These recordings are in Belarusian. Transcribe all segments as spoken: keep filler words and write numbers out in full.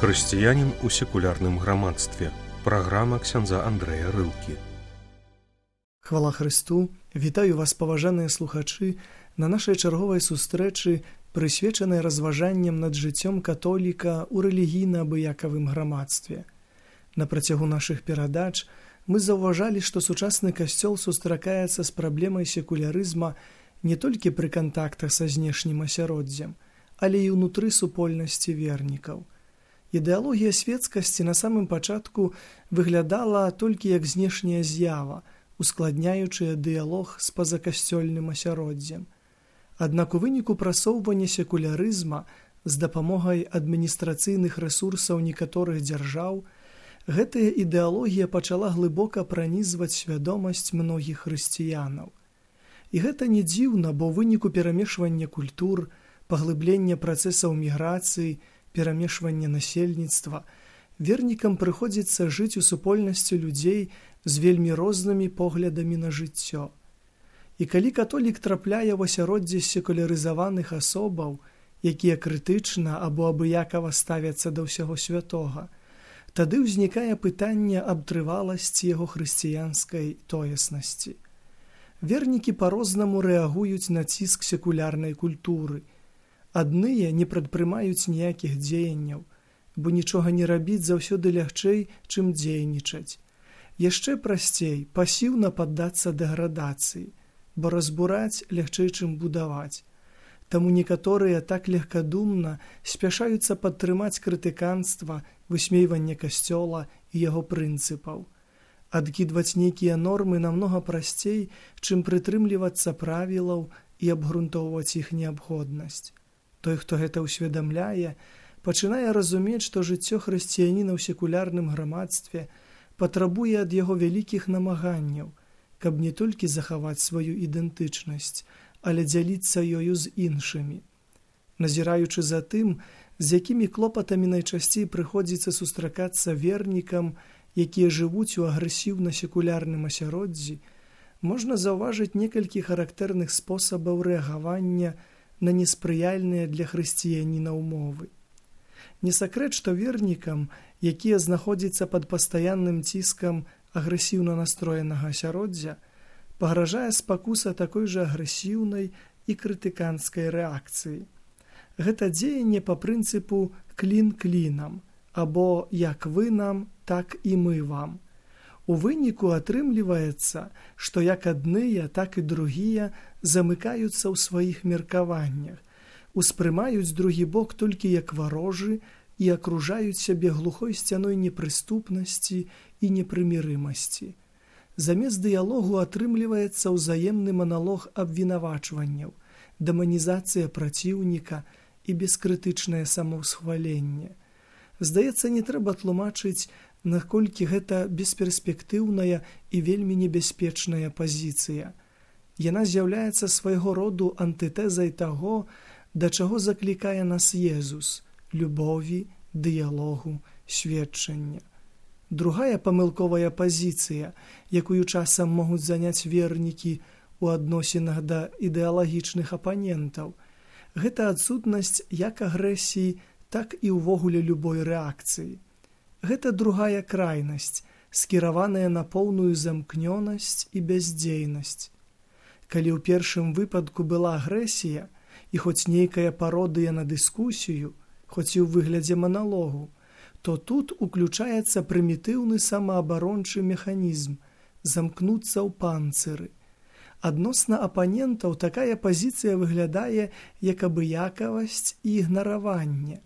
Хрысціянін у секулярным грамадстве. Праграма ксяндза Андрэя Рылкі. Хвала Христу! Вітаю вас, паважаныя слухачы, на нашай чарговай сустрэчы, прысвечанай разважанням над жыццём католіка ў рэлігійна-абыякавым грамадстве. На працягу нашых перадач мы заўважалі, што сучасны касцёл сустракаецца з праблемай секулярызма не толькі пры кантактах са знешнім асяроддзем, але і ўнутры супольнасці вернікаў. Ідэалогія светскасці на самым пачатку выглядала толькі як знешняя з'ява, ускладняючая дыялог з пазакасцёльным асяроддзем. Аднак у выніку прасоўвання секулярызма з дапамогай адміністрацыйных рэсурсаў некаторых дзяржаў, гэтая ідэалогія пачала глыбока пранізваць свядомасць многіх хрысціянаў. І гэта не дзіўна, бо ў выніку перамешвання культур, паглыблення працэсаў міграцыі, перамешвання насельніцтва, вернікам прыходзіцца жыць у супольнасці людзей з вельмі рознымі поглядамі на жыццё. І калі католік трапляе ў асяроддзе секулярызаваных асобаў, якія крытычна або абыякава ставяцца да ўсяго святога, тады ўзнікае пытанне аб трываласці яго хрысціянскай тоеснасці. Вернікі па-рознаму рэагуюць на ціск секулярнай культуры. Адныя не прадпрымаюць ніякіх дзеянняў, бо нічога не рабіць заўсёды лягчэй, чым дзейнічаць. Яшчэ прасцей пасіўна паддацца дэградацыі, бо разбураць лягчэй, чым будаваць. Таму некаторыя так легкадумна спяшаюцца падтрымаць крытыканства, высмейванне касцёла і яго прынцыпаў. Адкідваць нейкія нормы намнога прасцей, чым прытрымлівацца правілаў і абгрунтоўваць іх неабходнасць. Той, хто гэта ўсведамляе, пачынае разумець, што жыццё хрысціяніна ў секулярным грамадстве патрабуе ад яго вялікіх намаганняў, каб не толькі захаваць сваю ідэнтычнасць, але дзяліцца ёю з іншымі. Назіраючы за тым, з якімі клопатамі найчасцей прыходзіцца сустракацца вернікам, якія жывуць у агрэсіўна-секулярным асяроддзі, можна заўважыць некалькі характэрных спосабаў рэагавання на неспрыяльныя для хрысціяніна ўмовы. Не сакрэт, што вернікам, якія знаходзяцца пад пастаянным ціскам агрэсіўна настроенага асяроддзя, пагражае спакуса такой жа агрэсіўнай і крытыканскай рэакцыі. Гэта дзеянне па прынцыпу «клін клінам» або «як вы нам, так і мы вам». У выніку атрымліваецца, што як адныя, так і другія замыкаюцца ў сваіх меркаваннях, успрымаюць другі бок толькі як варожы і акружаюць сябе глухой сцяной непрыступнасці і непрымірымасці. Замест дыялогу атрымліваецца ўзаемны маналог абвінавачванняў, дэманізацыя праціўніка і бескрытычнае самаўсхваленне. Здаецца, не трэба тлумачыць, наколькі гэта бесперспектыўная і вельмі небяспечная пазіцыя. Яна з'яўляецца свайго роду антытэзай таго, да чаго заклікае нас Езус – любові, дыялогу, сведчання. Другая памылковая пазіцыя, якую часам могуць заняць вернікі ў адносінах да ідэалагічных апанентаў, гэта адсутнасць як агрэсіі, так і ўвогуле любой рэакцыі. Гэта другая крайнасць, скіраваная на поўную замкнёнасць і бяздзейнасць. Калі ў першым выпадку была агрэсія і хоць нейкая пародыя на дыскусію, хоць і ў выглядзе маналогу, то тут уключаецца прымітыўны самаабарончы механізм замкнуцца ў панцыры. Адносна апанентаў такая пазіцыя выглядае як абыякавасць і ігнараванне.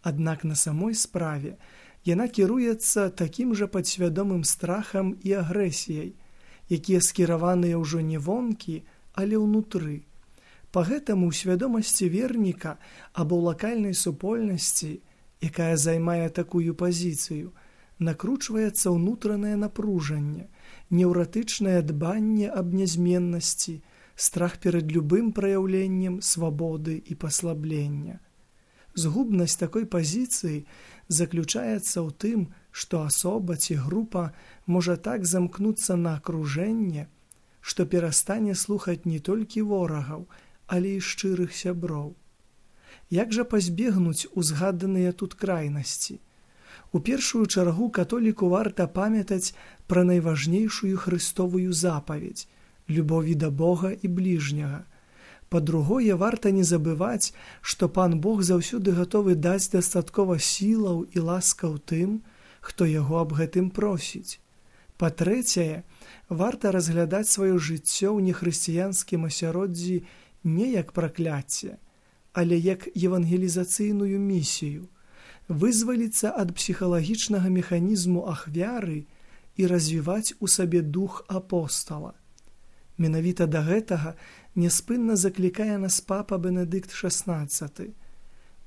Аднак на самой справе яна кіруецца такім жа падсвядомым страхам і агрэсіяй, якія скіраваныя ўжо не вонкі, але ўнутры. Па гэтаму ў свядомасці верніка або ў лакальнай супольнасці, якая займае такую пазіцыю, накручваецца ўнутранае напружанне, неўратычнае дбанне аб нязменнасці, страх перад любым праяўленнем свабоды і паслаблення. Згубнасць такой пазіцыі заключаецца ў тым, што асоба ці група можа так замкнуцца на акружэнне, што перастане слухаць не толькі ворагаў, але і шчырых сяброў. Як жа пазбегнуць узгаданыя тут крайнасці? У першую чаргу католіку варта памятаць пра найважнейшую хрыстовую запаведь – любові да Бога і бліжняга. Па-другое, варта не забываць, што Пан Бог заўсёды гатовы даць дастаткова сілаў і ласкаў тым, хто яго аб гэтым просіць. Па-трэцяе, варта разглядаць сваё жыццё ў нехрысціянскім асяроддзі не як пракляцце, але як евангелізацыйную місію, вызваліцца ад псіхалагічнага механізму ахвяры і развіваць у сабе дух апостала. Менавіта да гэтага няспынна заклікае нас папа Бенедыкт шаснаццаты.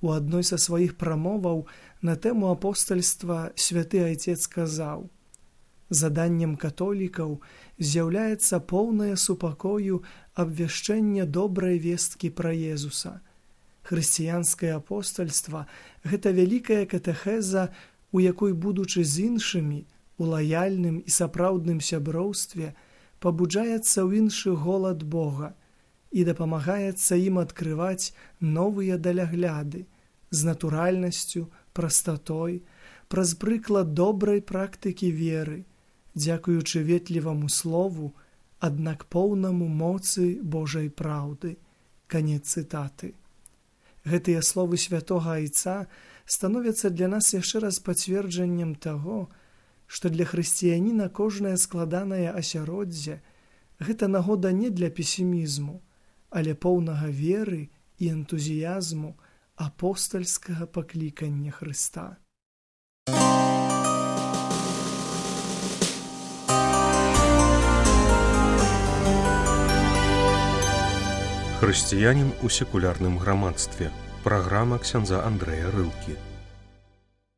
У адной са сваіх прамоваў на тэму апостальства святы айцец казаў: «Заданнем католікаў з'яўляецца поўнае супакою абвяшчэнне добрай весткі пра Езуса. Хрысціянскае апостальства – гэта вялікая катэхеза, у якой, будучы з іншымі, у лаяльным і сапраўдным сяброўстве, пабуджаецца ў іншы голад Бога і дапамагаецца ім адкрываць новыя далягляды з натуральнасцю, прастатой, праз прыклад добрай практыкі веры, дзякуючы ветліваму слову, аднак поўнаму моцы Божай праўды». Канец цытаты. Гэтыя словы святога айца становяцца для нас яшчэ раз пацверджаннем таго, што для хрысціяніна кожнае складанае асяроддзе – гэта нагода не для песімізму, але поўнага веры і энтузіязму апостальскага паклікання Хрыста. Хрысціянін у секулярным грамадстве. Праграма ксяндза Андрэя Рылкі.